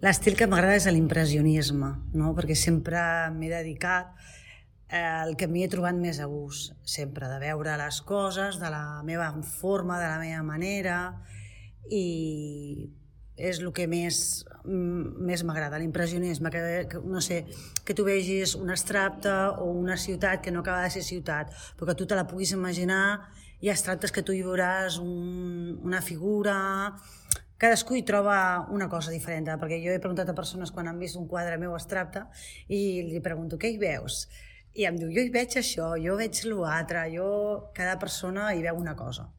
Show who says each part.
Speaker 1: L'estil que m'agrada és l'impressionisme, no? Perquè sempre m'he dedicat al que m'hi he trobat més a gust, sempre, de veure les coses de la meva forma, de la meva manera, i és el que més m'agrada, l'impressionisme, no sé, que tu vegis un abstracte o una ciutat que no acaba de ser ciutat, però que tu te la puguis imaginar. Hi ha abstractes que tu hi veuràs una figura. Cadascú hi troba una cosa diferent, perquè jo he preguntat a persones quan han vist un quadre meu abstracte i li pregunto, què hi veus? I em diu, jo hi veig això, jo veig l'altre, cada persona hi veu una cosa.